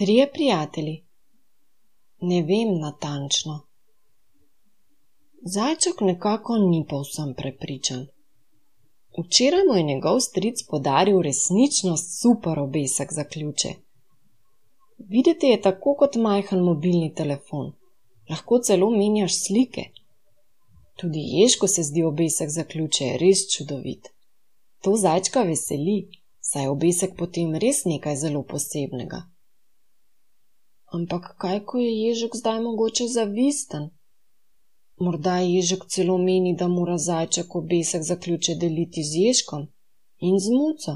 3 prijatelji. Ne vem natančno. Zajček nekako ni povsem prepričan. Včeraj mu je njegov stric podaril resnično super obesek za ključe. Videti je tako kot majhen mobilni telefon. Lahko celo menjaš slike. Tudi Ježku se zdi obesek za ključe res čudovit. To zajčka veseli, saj je obesek potem res nekaj zelo posebnega. Ampak kaj, ko je Ježek zdaj mogoče zavisten? Morda Ježek celo meni, da mora zajček obesek za ključe deliti z Ježkom in z Muco.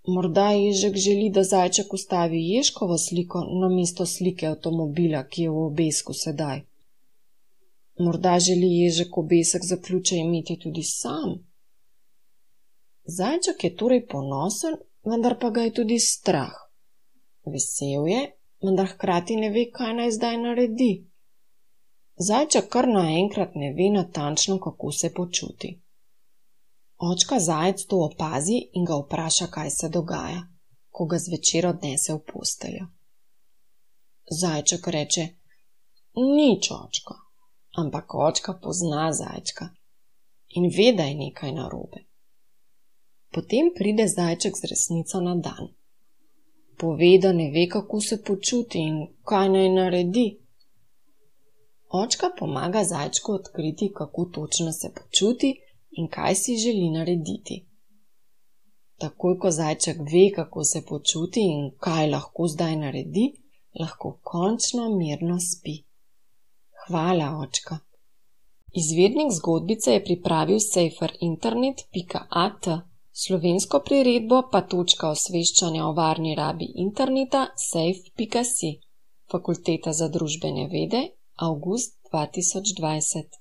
Morda Ježek želi, da zajček ustavi Ježkovo sliko namesto slike avtomobila, ki je v obesku sedaj. Morda želi Ježek obesek za ključe imeti tudi sam. Zajček je torej ponosen, vendar pa ga je tudi strah. Vesel je, vendar hkrati ne ve, kaj naj zdaj naredi. Zajček kar naenkrat ne ve natančno, kako se počuti. Očka zajec to opazi in ga vpraša, kaj se dogaja, ko ga zvečer odnese v posteljo. Zajček reče: nič, očka, ampak očka pozna zajčka in ve, da je nekaj narobe. Potem pride zajček z resnico na dan. Pove, da ne ve, kako se počuti in kaj naj naredi. Očka pomaga zajčku odkriti, kako točno se počuti in kaj si želi narediti. Takoj, ko zajček ve, kako se počuti in kaj lahko zdaj naredi, lahko končno mirno spi. Hvala, očka. Izvirnik zgodbice je pripravil saferinternet.at, slovensko priredbo pa točka osveščanja o varni rabi interneta safe.si, Fakulteta za družbene vede, avgust 2020.